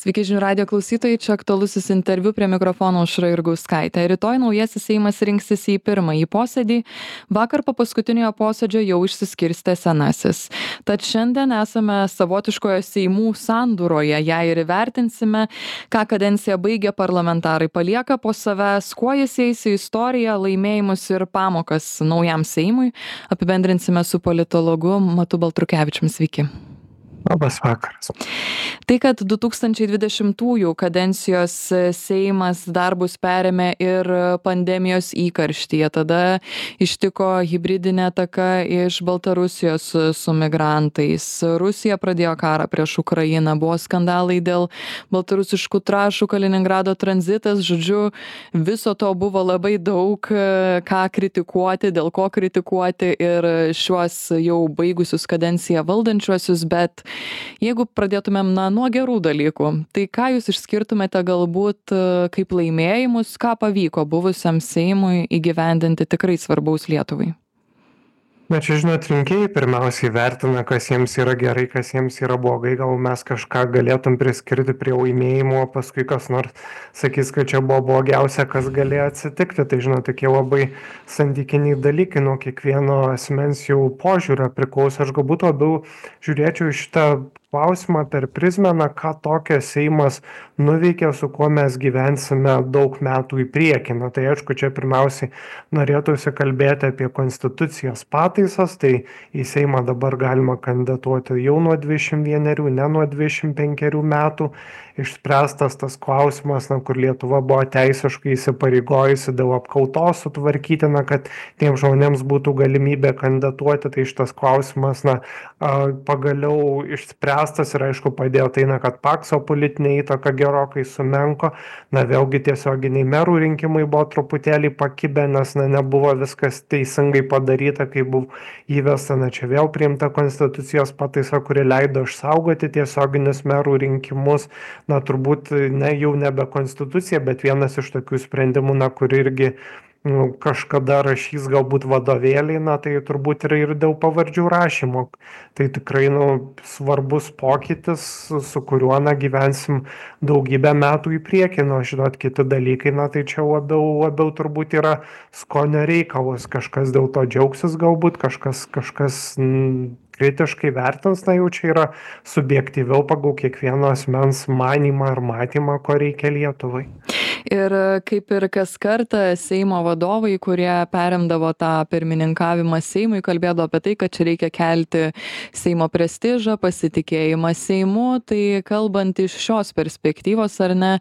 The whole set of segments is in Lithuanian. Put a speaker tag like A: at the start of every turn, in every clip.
A: Sveiki žinių radijo klausytojai, čia aktualusis interviu prie mikrofono Aušra Jurgauskaitė. Rytoj naujasis Seimas rinksis į pirmąjį posėdį, vakar po paskutiniojo posėdžio jau išsiskirstė senasis. Tad šiandien esame savotiškoje Seimų sandūroje, ją ir įvertinsime, ką kadenciją baigę parlamentarai palieka po savęs, kuo jis eis į istoriją, laimėjimus ir pamokas naujam Seimui. Apibendrinsime su politologu Matu Baltrukevičiumi. Sveiki.
B: Labas vakaras.
A: Tai, kad 2020 kadencijos Seimas darbus perėmė ir pandemijos įkarštyje, tada ištiko hibridinė ataka iš Baltarusijos su migrantais. Rusija pradėjo karą prieš Ukrainą, buvo skandalai dėl baltarusiškų trąšų, Kaliningrado tranzitas, žodžiu, viso to buvo labai daug, ką kritikuoti, dėl ko kritikuoti ir šiuos jau baigusius kadenciją valdančiuosius, bet jeigu pradėtumėm nuo gerų dalykų, tai ką jūs išskirtumėte galbūt kaip laimėjimus, ką pavyko buvusiam Seimui įgyvendinti tikrai svarbaus Lietuvai?
B: Na čia, žinot, rinkėjai pirmiausiai vertina, kas jiems yra gerai, kas jiems yra blogai. Gal mes kažką galėtum priskirti prie laimėjimo, o paskui kas nors sakys, kad čia buvo blogiausia, kas galėjo atsitikti. Tai, žinot, tokie labai santykiniai dalykai nuo kiekvieno asmens jau požiūrio priklauso. Aš galbūt labiau žiūrėčiau į šitą klausimą per prizmę, ką tokio Seimas nuveikė, su kuo mes gyvensime daug metų į priekį. Na tai aišku, čia pirmiausiai norėtųsi kalbėti apie konstitucijos pataisas, tai į Seimą dabar galima kandidatuoti jau nuo 21, ne nuo 25 metų. Išspręstas tas klausimas, kur Lietuva buvo teisiškai įsipareigojusi dėl apkaltos sutvarkyti, kad tiems žmonėms būtų galimybė kandidatuoti, tai šitas klausimas pagaliau išspręstas ir aišku padėjo tai, kad Pakso politinė įtaka gerokai sumenko, vėlgi tiesioginiai merų rinkimai buvo truputėlį pakibę, nes nebuvo viskas teisingai padaryta, kai buvo įvesta, čia vėl priimta konstitucijos pataisa, kuri leido išsaugoti tiesioginius merų rinkimus. Turbūt jau nebe konstitucija, bet vienas iš tokių sprendimų, kur irgi kažkada rašys galbūt vadovėliai, tai turbūt ir dėl pavardžių rašymo. Tai tikrai svarbus pokytis, su kuriuo gyvensim daugybę metų į priekį. Žinot, kiti dalykai, tai čia labiau turbūt yra skonio reikalas. Kažkas dėl to džiaugsis galbūt, kažkas kritiškai vertins, jau čia yra subjektyviau pagal kiekvieno asmens manymą ir matymą, ko reikia Lietuvai.
A: Ir kaip ir kas kartą Seimo vadovai, kurie perimdavo tą pirmininkavimą Seimui, kalbėdavo apie tai, kad čia reikia kelti Seimo prestižą, pasitikėjimą Seimu. Tai kalbant iš šios perspektyvos, ar ne,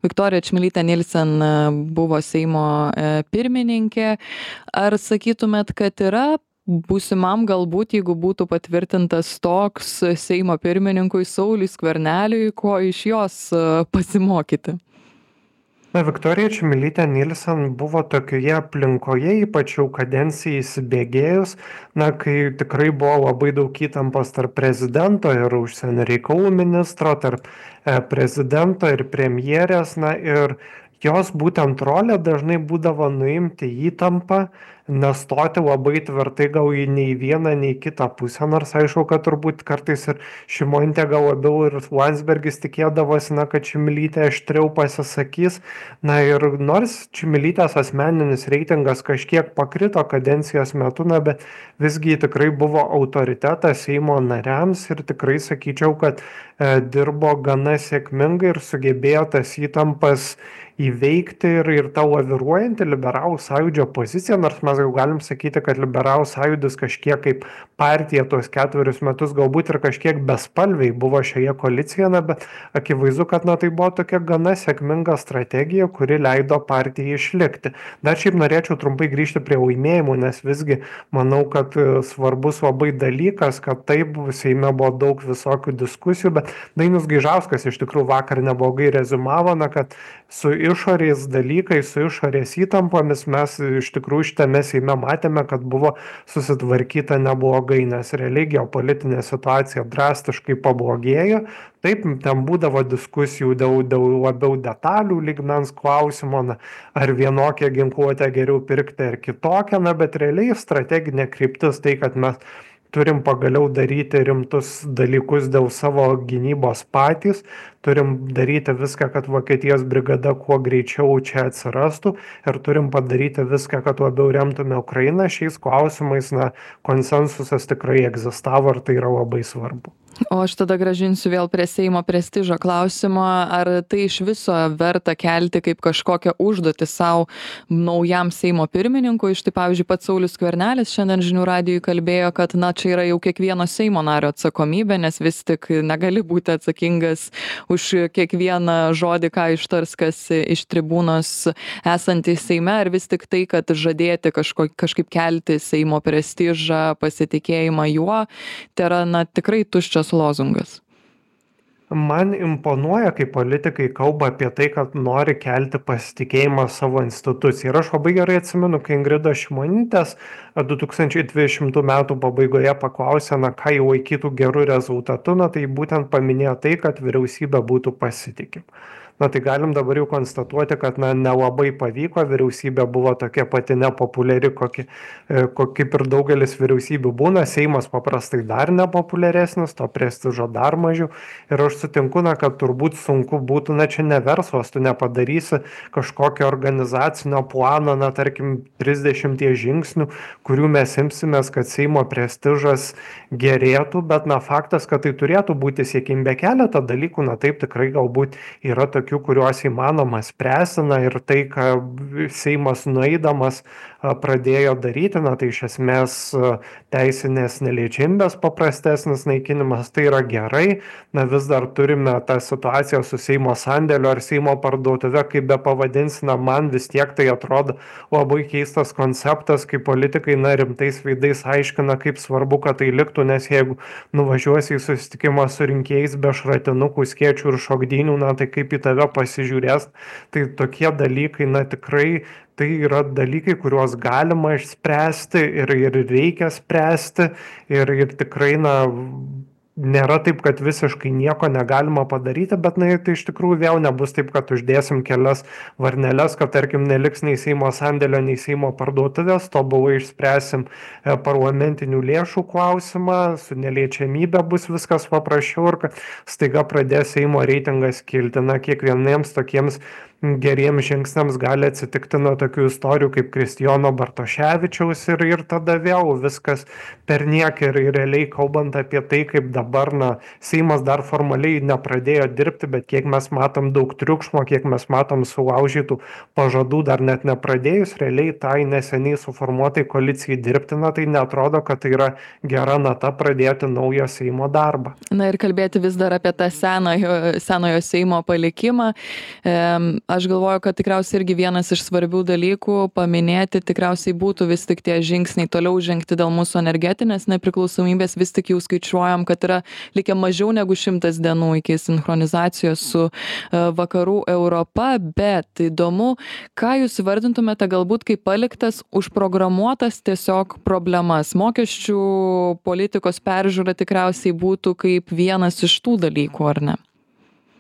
A: Viktorija Čmilytė Nilsen buvo Seimo pirmininkė. Ar sakytumėt, kad yra būsimam galbūt, jeigu būtų patvirtintas toks Seimo pirmininkui Sauliui Skverneliui, ko iš jos pasimokyti?
B: Viktorija Čmilytė Nilsen buvo tokioje aplinkoje, ypač jau kadencijai įsibėgėjus, kai tikrai buvo labai daug įtampos tarp prezidento ir užsienio reikalų ministro, tarp prezidento ir premjerės, ir jos būtent rolė dažnai būdavo nuimti įtampą, nestoti labai tvirtai gal nei vieną, nei kitą pusę, nors aišku, kad turbūt kartais ir Šimonytė gal labiau ir Landsbergis tikėdavosi, kad Čmilytė aštriau pasisakys, ir nors Čmilytės asmeninis reitingas kažkiek pakrito kadencijos metu, bet visgi tikrai buvo autoritetas Seimo nariams ir tikrai sakyčiau, kad dirbo gana sėkmingai ir sugebėjo tas įtampas įveikti ir tą laviruojantį liberalų sąjūdžio poziciją, nors mes jau galim sakyti, kad liberalų sąjūdis kažkiek kaip partija tuos 4 metus galbūt ir kažkiek bespalviai buvo šioje koalicijoje, bet akivaizdu, kad tai buvo tokia gana sėkminga strategija, kuri leido partijai išlikti. Dar šiaip norėčiau trumpai grįžti prie laimėjimų, nes visgi manau, kad svarbus labai dalykas, kad taip Seime buvo daug visokių diskusijų, bet Dainius Gaižauskas iš tikrųjų vakar neblogai rezumavo, kad su išorės dalykais, su išorės įtampomis mes iš tikrųjų šitame Seime matėme, kad buvo susitvarkyta neblogai, nes realiai geopolitinė situacija drastiškai pablogėjo. Taip, ten būdavo diskusijų dėl labiau detalių lygmens klausimo, ar vienokią ginkluotę geriau pirkti ar kitokią, bet realiai strateginė kryptis tai, kad mes turim pagaliau daryti rimtus dalykus dėl savo gynybos patys, turim daryti viską, kad Vokietijos brigada kuo greičiau čia atsirastų ir turim padaryti viską, kad labiau remtume Ukrainą. Šiais klausimais, konsensusas tikrai egzistavo ir tai yra labai svarbu.
A: O aš tada grąžinsiu vėl prie Seimo prestižo klausimo. Ar tai iš viso verta kelti kaip kažkokią užduotį savo naujam Seimo pirmininkui? Štai pavyzdžiui, pats Saulius Skvernelis šiandien žinių radijui kalbėjo, kad čia yra jau kiekvieno Seimo nario atsakomybė, nes vis tik negali būti atsakingas už kiekvieną žodį, ką ištars kas iš tribūnos esantys Seime, ar vis tik tai, kad žadėti kažkaip kelti Seimo prestižą, pasitikėjimą juo, tai yra tikrai tuščias lozungas.
B: Man imponuoja, kai politikai kalba apie tai, kad nori kelti pasitikėjimą savo instituciją. Ir aš labai gerai atsimenu, kai Ingrida Šimonytės 2020 metų pabaigoje paklausė, ką jau laikytų gerų rezultatų, tai būtent paminėjo tai, kad vyriausybė būtų pasitikima. Tai galim dabar jau konstatuoti, kad nelabai pavyko, vyriausybė buvo tokia pati nepopuliari, kaip ir daugelis vyriausybių būna, Seimas paprastai dar nepopuliaresnis, to prestižo dar mažiau. Ir aš sutinku, kad turbūt sunku būtų, čia ne verslas, tu nepadarysi kažkokio organizacinio plano, tarkim, 30 žingsnių, kurių mes imsimės, kad Seimo prestižas gerėtų, bet faktas, kad tai turėtų būti siekimybė keletą dalykų, taip tikrai galbūt yra tokių, kuriuos įmanoma spręsti, ir tai, ką Seimas nueidamas pradėjo daryti, tai iš esmės teisinės neliečiamybės paprastesnis naikinimas, tai yra gerai, vis dar turime tą situaciją su Seimo sandėliu ar Seimo parduotuve, kaip be pavadinsime, man vis tiek tai atrodo labai keistas konceptas, kai politikai rimtais veidais aiškina, kaip svarbu, kad tai liktų, nes jeigu nuvažiuosi į susitikimą su rinkėjais be šratinukų, skėčių ir šokdynių, tai kaip į tave pasižiūrės, tai tokie dalykai, tikrai tai yra dalykai, kuriuos galima išspręsti ir reikia spręsti ir tikrai, nėra taip, kad visiškai nieko negalima padaryti, bet tai iš tikrųjų vėl nebus taip, kad uždėsim kelias varneles, kad tarkim neliks nei Seimo sandėlio, nei Seimo parduotuvės, tobulai išspręsim parlamentinių lėšų klausimą, su neliečiamybė bus viskas paprasčiau ir kad staiga pradės Seimo reitingas kilti. Kiekvieniems tokiems geriems žingsniams gali atsitikti tokių istorijų kaip Kristijono Bartoševičiaus ir tada vėl viskas perniek ir realiai kalbant apie tai, kaip dabar Seimas dar formaliai nepradėjo dirbti, bet kiek mes matom daug triukšmo, kiek mes matom sulaužytų pažadų dar net nepradėjus, realiai tai neseniai suformuotai koalicijai dirbti, tai neatrodo, kad tai yra gera nata pradėti naujo Seimo darbą.
A: Ir kalbėti vis dar apie tą senojo Seimo palikimą. Aš galvoju, kad tikriausiai irgi vienas iš svarbių dalykų paminėti tikriausiai būtų vis tik tie žingsniai toliau žengti dėl mūsų energetinės nepriklausomybės. Vis tik jau skaičiuojam, kad yra likę mažiau negu 100 dienų iki sinchronizacijos su vakarų Europa, bet įdomu, ką jūs vardintumėte galbūt kaip paliktas užprogramuotas tiesiog problemas. Mokesčių politikos peržiūra tikriausiai būtų kaip vienas iš tų dalykų, ar ne?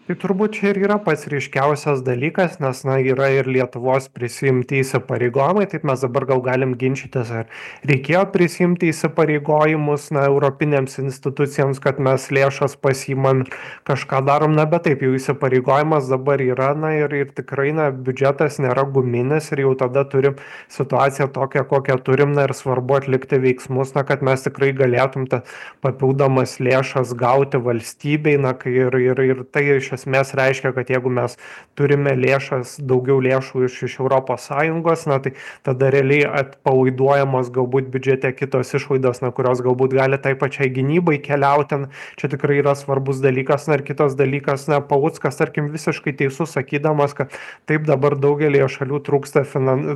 B: Tai turbūt čia ir yra pats ryškiausias dalykas, nes yra ir Lietuvos prisiimti įsipareigojimai, taip mes dabar gal galim ginčytis, ar reikėjo prisiimti įsipareigojimus europinėms institucijams, kad mes lėšas pasiimam, kažką darom, bet taip jau įsipareigojimas dabar yra, ir tikrai biudžetas nėra guminis ir jau tada turim situaciją tokią, kokią turim, ir svarbu atlikti veiksmus, kad mes tikrai galėtum tą papildomas lėšas gauti valstybei, ir tai iš esmės reiškia, kad jeigu mes turime daugiau lėšų iš ES, tai tada realiai atpalaiduojamos galbūt biudžete kitos išlaidos, kurios galbūt gali tai pačiai gynybai keliauti. Čia tikrai yra svarbus dalykas. Ir kitas dalykas, Paluckas, tarkim, visiškai teisus sakydamas, kad taip dabar daugelį šalių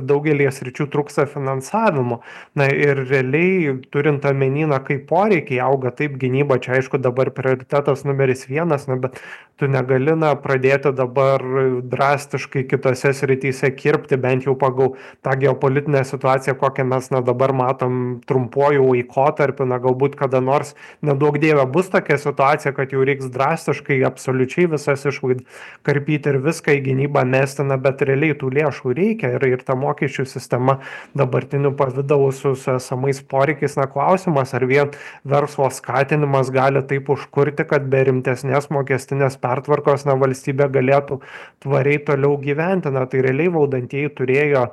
B: daugelį sričių trūksta finansavimo. Ir realiai turint omeny, kaip poreikiai auga, taip gynyba, čia aišku dabar prioritetas numeris 1, bet tu negali negali pradėti dabar drastiškai kitose srityse kirpti, bent jau pagal tą geopolitinę situaciją, kokią mes dabar matom trumpuoju laikotarpiu, galbūt kada nors, neduok dieve, bus tokia situacija, kad jau reiks drastiškai absoliučiai visas išlaidas karpyti ir viską į gynybą mesti, bet realiai tų lėšų reikia ir ta mokesčių sistema dabartiniu pavidalu su esamais poreikiais, klausimas, ar vien verslo skatinimas gali taip užkurti, kad be rimtesnės mokestinės pertvarkos valstybė galėtų tvariai toliau gyventi. Tai realiai valdantieji turėjo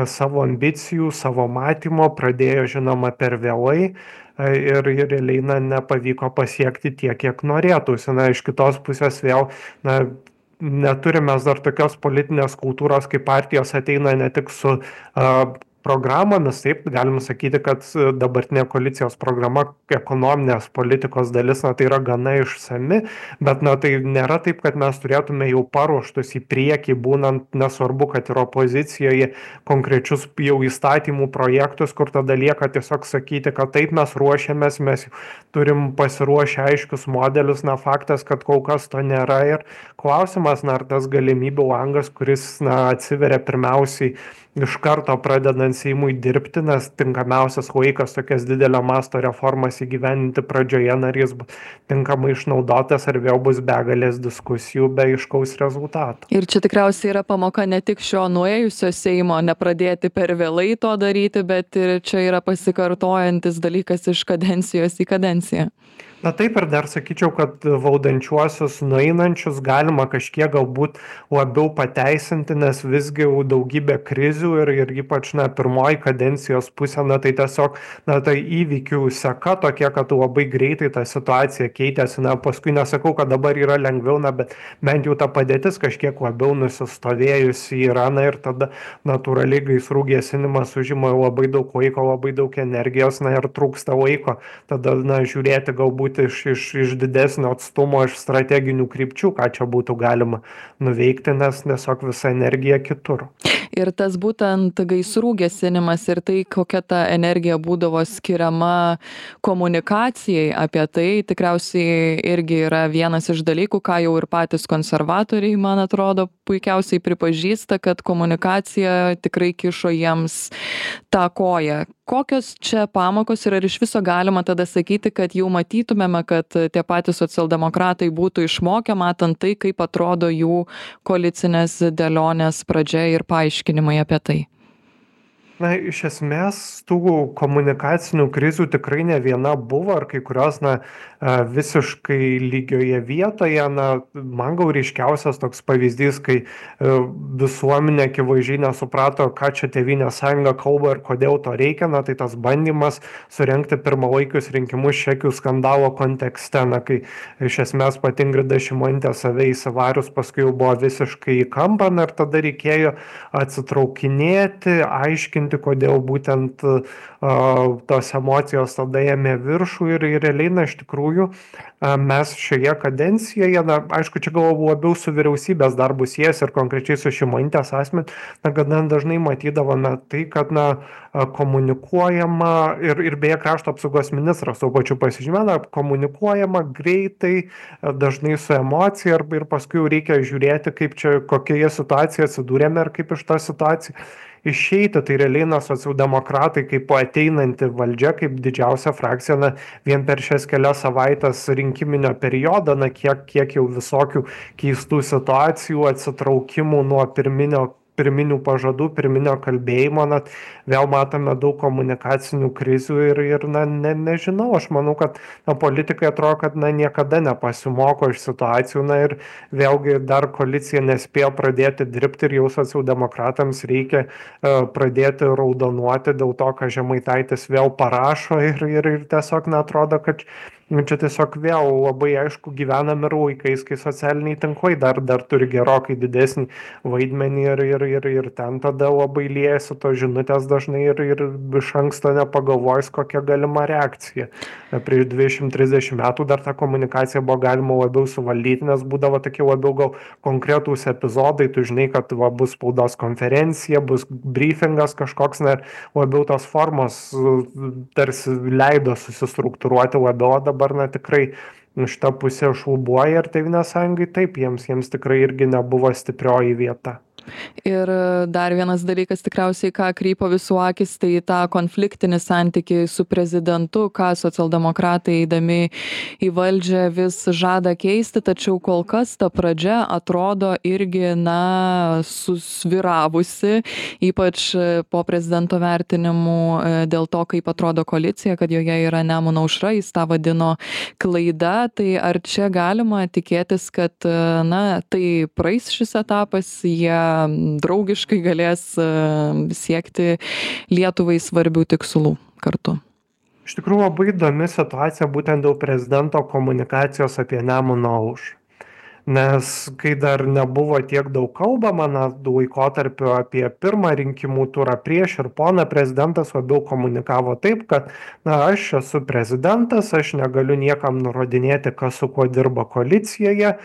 B: savo ambicijų, savo matymo, pradėjo žinoma per vėlai ir realiai nepavyko pasiekti tiek, kiek norėtųsi. Iš kitos pusės vėl neturime dar tokios politinės kultūros, kai partijos ateina ne tik su programomis, taip galim sakyti, kad dabartinė koalicijos programa ekonominės politikos dalis, tai yra gana išsami, bet tai nėra taip, kad mes turėtume jau paruoštus į priekį, būnant nesvarbu, kad ir opozicijoje konkrečius jau įstatymų projektus, kur tada lieka tiesiog sakyti, kad taip mes ruošiamės, mes turim pasiruošę aiškius modelius, faktas, kad kol kas to nėra ir klausimas, ar tas galimybių langas, kuris atsiveria pirmiausiai iš karto pradedant Seimui dirbti, nes tinkamiausias laikas tokias didelio masto reformas įgyvendinti pradžioje, ar jis bus tinkamai išnaudotas, ar vėl bus begalės diskusijų be aiškaus rezultato.
A: Ir čia tikriausiai yra pamoka ne tik šio nuėjusio Seimo nepradėti per vėlai to daryti, bet ir čia yra pasikartojantis dalykas iš kadencijos į kadenciją.
B: Taip ir dar sakyčiau, kad valdančiuosius nueinančius galima kažkiek galbūt labiau pateisinti, nes visgi daugybė krizių ir ypač pirmoji kadencijos pusė, tai tiesiog tai įvykių seka tokia, kad labai greitai ta situacija keitėsi, paskui nesakau, kad dabar yra lengviau, bet bent jau ta padėtis kažkiek labiau nusistovėjusi yra, ir tada natūraliai gaisrų gesinimas užima labai daug laiko, labai daug energijos, ir trūksta laiko, tada žiūrėti galbūt iš didesnio atstumo, iš strateginių krypčių, ką čia būtų galima nuveikti, nes tiesiog visa energija kitur.
A: Ir tas būtent gaisrų gesinimas ir tai, kokia ta energija būdavo skiriama komunikacijai apie tai, tikriausiai irgi yra vienas iš dalykų, ką jau ir patys konservatoriai, man atrodo, puikiausiai pripažįsta, kad komunikacija tikrai kišo jiems tą koją. Kokios čia pamokos ir ar iš viso galima tada sakyti, kad jau matytumėme, kad tie patys socialdemokratai būtų išmokę, matant tai, kaip atrodo jų koalicinės dėlionės pradžia ir paaiškinimai apie tai?
B: Iš esmės, tų komunikacinių krizių tikrai ne viena buvo, ar kai kurios visiškai lygioje vietoje. Man gal ryškiausias toks pavyzdys, kai visuomenė akivaizdžiai nesuprato, ką čia Tėvynės sąjunga kalba ir kodėl to reikia, tai tas bandymas surengti pirmalaikius rinkimus čekių skandalo kontekste, kai iš esmės pati Ingrida Šimonytė save įsivarius paskui jau buvo visiškai į kampą, ir tada reikėjo atsitraukinėti, aiškinti, kodėl būtent tos emocijos tada ėmė viršų ir realiai, iš tikrųjų, mes šioje kadencijoje, aišku, čia gal labiau su vyriausybės darbu siejasi ir konkrečiai su Šimonytės asmeniu, gana dažnai matydavome tai, kad komunikuojama ir beje krašto apsaugos ministras tuo pačiu pasižymė, komunikuojama greitai, dažnai su emocija ir paskui reikia žiūrėti, kaip čia, kokioje situacijoje atsidūrėme ir kaip iš tos situacijos išeiti. Tai realiai socialdemokratai kaip ateinanti valdžia, kaip didžiausia frakcija, vien per šias kelias savaitės rinkiminio periodo, kiek jau visokių keistų situacijų, atsitraukimų nuo pirminių pažadų, pirminio kalbėjimo, vėl matome daug komunikacinių krizių ir nežinau, aš manau, kad politikai atrodo, kad niekada nepasimoko iš situacijų, ir vėlgi dar koalicija nespėjo pradėti dirbti ir jau socialdemokratams reikia pradėti raudonuoti dėl to, ką Žemaitaitis vėl parašo ir tiesiog atrodo, kad čia tiesiog vėl labai aišku gyvename ir laikais, kai socialiniai tinklai dar turi gerokai didesnį vaidmenį ir ten tada labai liejasi tos žinutės dažnai ir iš anksto nepagalvojus, kokia galima reakcija. Prieš 20-30 metų dar tą komunikaciją buvo galima labiau suvaldyti, nes būdavo tokie labiau gal konkretūs epizodai, tu žinai, kad bus spaudos konferencija, bus briefingas kažkoks, labiau tos formos tarsi leido susistruktūruoti labiau, dabar tikrai šita pusė šlubuoja ir Tėvynės sąjungai taip, jiems tikrai irgi nebuvo stiprioji vieta.
A: Ir dar vienas dalykas tikriausiai, ką krypo visų akis, tai tą konfliktinį santykį su prezidentu, ką socialdemokratai eidami į valdžią vis žada keisti, tačiau kol kas ta pradžia atrodo irgi, susvyravusi, ypač po prezidento vertinimų dėl to, kaip atrodo koalicija, kad joje yra Nemuno aušra, jis tą vadino klaida. Tai ar čia galima tikėtis, kad tai praeis šis etapas, jie draugiškai galės siekti Lietuvai svarbių tikslų kartu?
B: Iš tikrųjų labai įdomi situacija būtent dėl prezidento komunikacijos apie Nemuno aušrą. Nes kai dar nebuvo tiek daug kalbama, laikotarpiu apie pirmą rinkimų turą prieš ir poną prezidentas labiau komunikavo taip, kad aš esu prezidentas, aš negaliu niekam nurodinėti, kas su kuo dirba koalicijoje,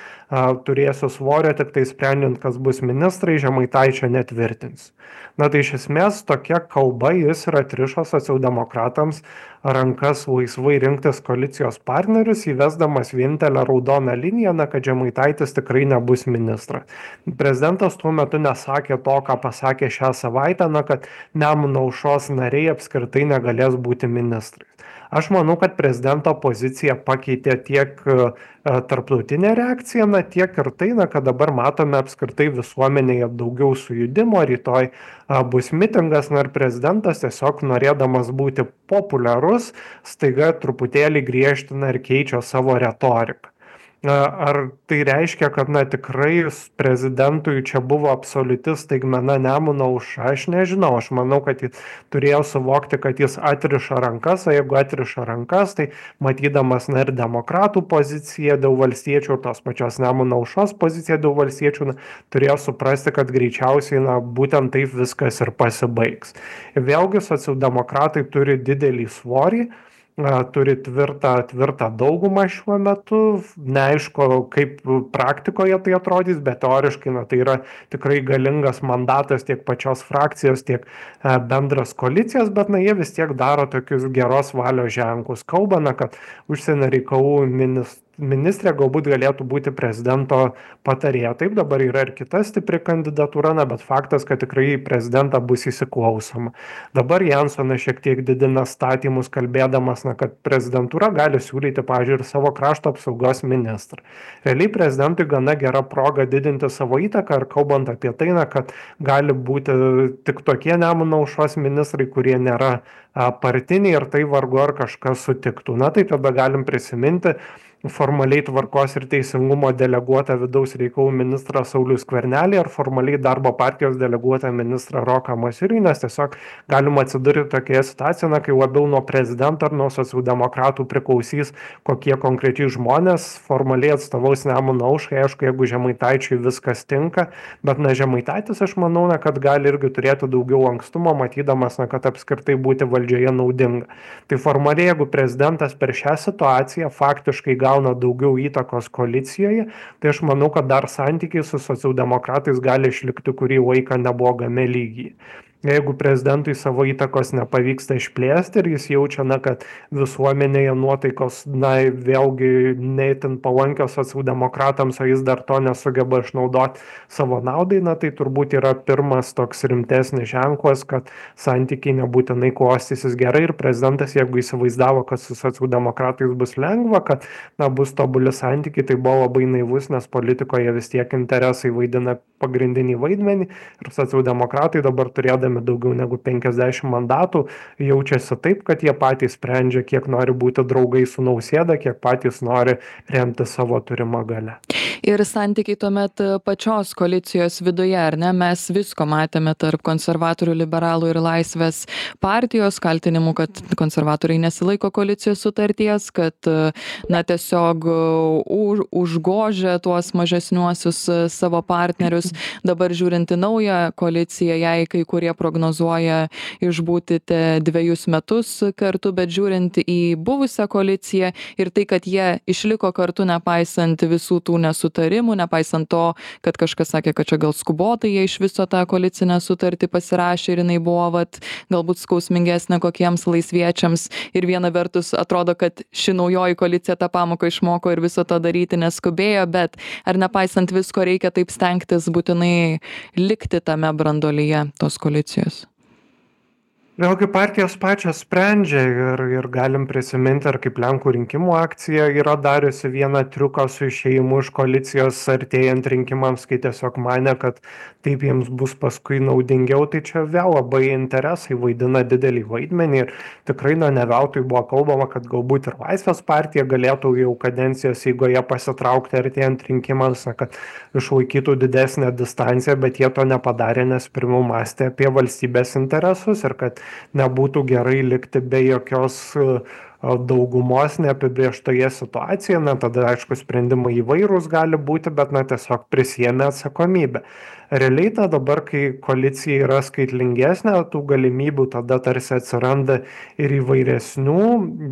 B: turėsiu svorio tik tai sprendžiant, kas bus ministrai, Žemaitaičio netvirtins. Tai iš esmės tokia kalba jis ir atrišo socialdemokratams rankas laisvai rinktis koalicijos partnerius, įvesdamas vienintelę raudoną liniją, kad Žemaitaitis tikrai nebus ministras. Prezidentas tuo metu nesakė to, ką pasakė šią savaitę, kad Nemuno aušros nariai apskritai negalės būti ministrais. Aš manau, kad prezidento poziciją pakeitė tiek tarptautinė reakcija, tiek ir tai, kad dabar matome apskritai visuomenėje daugiau sujudimo, rytoj bus mitingas, ir prezidentas tiesiog norėdamas būti populiarus, staiga truputėlį griežtina ir keičia savo retoriką. Ar tai reiškia, kad tikrai prezidentui čia buvo absoliuti staigmena Nemuno aušra, aš nežinau, aš manau, kad jis turėjo suvokti, kad jis atriša rankas, o jeigu atriša rankas, tai matydamas ir demokratų poziciją dėl valstiečių ir tos pačios Nemuno aušros poziciją dėl valstiečių, turėjo suprasti, kad greičiausiai būtent taip viskas ir pasibaigs. Ir vėlgi socialdemokratai turi didelį svorį, turi tvirtą daugumą šiuo metu, neaišku, kaip praktikoje tai atrodys, bet teoriškai tai yra tikrai galingas mandatas tiek pačios frakcijos, tiek bendras koalicijos, bet jie vis tiek daro tokius geros valios ženklus. Kalba, kad užsienio reikalų ministrė galbūt galėtų būti prezidento patarėja. Taip, dabar yra ir kita stipri kandidatūra, bet faktas, kad tikrai į prezidentą bus įsiklausoma. Dabar Jansonas šiek tiek didina statymus, kalbėdamas, kad prezidentūra gali siūlyti, pavyzdžiui, ir savo krašto apsaugos ministrą. Realiai prezidentui gana gera proga didinti savo įtaką ir kalbant apie tai, kad gali būti tik tokie Nemuno aušros ministrai, kurie nėra partiniai ir tai vargu ar kažkas sutiktų. Tai tada galim prisiminti formaliai tvarkos ir teisingumo deleguotą vidaus reikalų ministrą Saulių Skvernelį ar formaliai darbo partijos deleguotą ministrą Roką Masiulį, nes tiesiog galima atsidurti tokioje situacijoje, kai labiau nuo prezidento ar nuo socialdemokratų priklausys, kokie konkrečiai žmonės formaliai atstovaus Nemuno aušrai. Aišku, jeigu Žemaitaičiui viskas tinka, bet Žemaitaitis, aš manau, kad gali irgi turėti daugiau lankstumo, matydamas, kad apskritai būti valdžioje naudinga. Tai formaliai, jeigu prezidentas per šią situaciją faktiškai gauna daugiau įtakos koalicijoje, tai aš manau, kad dar santykiai su socialdemokratais gali išlikti kurį laiką neblogame lygyje. Jeigu prezidentui savo įtakos nepavyksta išplėsti ir jis jaučia, kad visuomenėje nuotaikos, vėlgi neįtin palankios socialdemokratams, o jis dar to nesugeba išnaudoti savo naudai, tai turbūt yra pirmas toks rimtesnis ženklas, kad santykiai nebūtinai klostysis gerai ir prezidentas, jeigu įsivaizdavo, kad su socialdemokratais bus lengva, kad bus tobuli santykiai, tai buvo labai naivus, nes politikoje vis tiek interesai vaidina pagrindinį vaidmenį ir socialdemokratai dabar turėdami daugiau negu 50 mandatų jaučiasi taip, kad jie patys sprendžia, kiek nori būti draugai su Nausėda, kiek patys nori remti savo turimą galią.
A: Ir santykiai tuomet pačios koalicijos viduje, ar ne? Mes visko matėme tarp konservatorių, liberalų ir Laisvės partijos, kaltinimų, kad konservatoriai nesilaiko koalicijos sutarties, kad tiesiog užgožia tuos mažesniuosius savo partnerius. Dabar žiūrint į naują koaliciją, jai kai kurie prognozuoja išbūti 2 metus kartu, bet žiūrint į buvusią koaliciją ir tai, kad jie išliko kartu nepaisant visų tų nesutarimų, nesutarimų, nepaisant to, kad kažkas sakė, kad čia gal skubotai jie iš viso tą koalicinę sutartį pasirašė ir jinai buvo galbūt skausmingesnė kokiems laisviečiams. Ir viena vertus atrodo, kad ši naujoji koalicija tą pamoką išmoko ir viso to daryti neskubėjo, bet ar nepaisant visko reikia taip stengtis būtinai likti tame branduolyje tos koalicijos?
B: Vėlgi partijos pačios sprendžia ir galim prisiminti, ar kaip Lenkų rinkimų akcija yra dariusi vieną triuką su išėjimu iš koalicijos artėjant rinkimams, kai tiesiog mane, kad taip jiems bus paskui naudingiau, tai čia vėl labai interesai vaidina didelį vaidmenį ir tikrai ne veltui buvo kalbama, kad galbūt ir Laisvės partija galėtų jau kadencijos eigoje pasitraukti artėjant rinkimams, kad išlaikytų didesnę distanciją, bet jie to nepadarė, nes pirmiau mąstė apie valstybės interesus ir kad nebūtų gerai likti be jokios daugumos neapibrėžtoje situacijoje, tada aišku sprendimai įvairūs gali būti, bet tiesiog prisėmė atsakomybę. Realiai dabar, kai koalicija yra skaitlingesnė, tų galimybių tada tarsi atsiranda ir įvairesnių,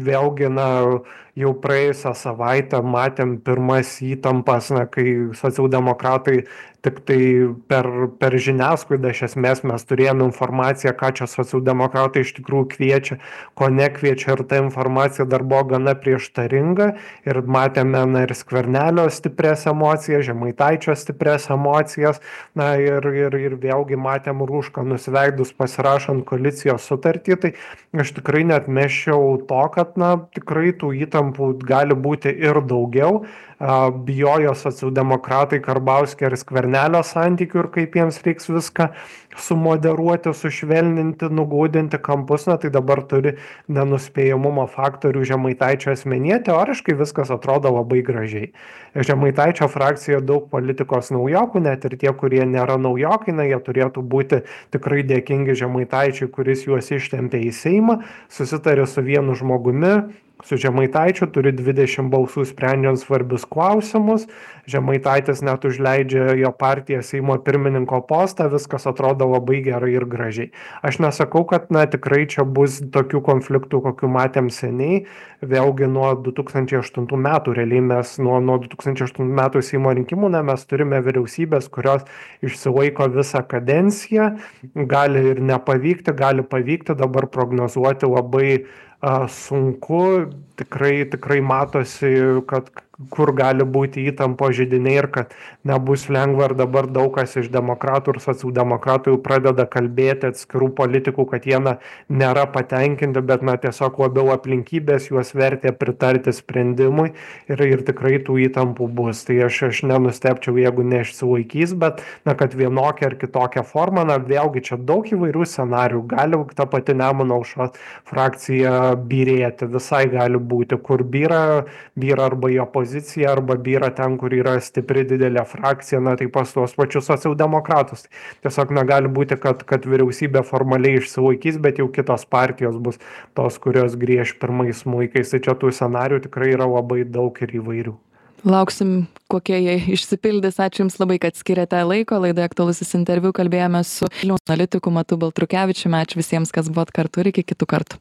B: vėlgi jau praėjusią savaitę matėm pirmas įtampas, kai socialdemokratai tik tai per žiniasklaidą iš esmės mes turėjome informaciją, ką čia socialdemokratai iš tikrųjų kviečia, ko nekviečia ir ta informacija dar buvo gana prieštaringa ir matėme ir Skvernelio stiprias emocijas, Žemaitaičio stiprias emocijas, ir vėlgi matėm Rūšką nusiveidus pasirašant koalicijos sutartį, tai aš tikrai neatmesčiau to, kad tikrai tų įtampų gali būti ir daugiau. Bijojo socialdemokratai Karbauskio ir Skvernelio santykių ir kaip jiems reiks viską sumoderuoti, sušvelninti, nugūdinti kampus, tai dabar turi nenuspėjamumo faktorių Žemaitaičio asmenyje. Teoriškai viskas atrodo labai gražiai. Žemaitaičio frakcijoje daug politikos naujokų, net ir tie, kurie nėra naujokai, jie turėtų būti tikrai dėkingi Žemaitaičiui, kuris juos ištempė į Seimą, susitarė su vienu žmogumi, su Žemaitaičiu, turi 20 balsų sprendžiant svarbius klausimus, Žemaitaitis net užleidžia jo partiją Seimo pirmininko postą, viskas atrodo labai gerai ir gražiai. Aš nesakau, kad tikrai čia bus tokių konfliktų, kokių matėm seniai, vėlgi nuo 2008 metų, realiai mes nuo 2008 metų Seimo rinkimų, mes turime vyriausybės, kurios išsilaiko visą kadenciją, gali ir nepavykti, gali pavykti, dabar prognozuoti labai sunku, tikrai matosi, kad kur gali būti įtampo židiniai ir kad nebus lengva ir dabar daug kas iš demokratų ir socialdemokratų jau pradeda kalbėti atskirų politikų, kad jie nėra patenkinti, bet tiesiog labiau aplinkybės juos vertė pritarti sprendimui ir tikrai tų įtampų bus. Tai aš nenustebčiau, jeigu neišsilaikys, bet kad vienokia ar kitokia forma, vėlgi čia daug įvairių scenarių, gali ta pati Nemuno aušros frakcija byrėti, visai gali būti, kur byra arba į opoziciją, arba byra ten, kur yra stipri didelė frakcija, tai pas tuos pačius socialdemokratus. Tiesiog negali būti, kad vyriausybė formaliai išsilaikys, bet jau kitos partijos bus tos, kurios grieš pirmais smuikais. Tai čia tų scenarių tikrai yra labai daug ir įvairių.
A: Lauksim, kokie jie išsipildys. Ačiū Jums labai, kad skiriate laiko. Laidoje Aktualusis interviu kalbėjome su Vilniaus analitiku Matu Baltrukevičiumi. Ačiū visiems, kas buvot kartu ir iki kitų kartų.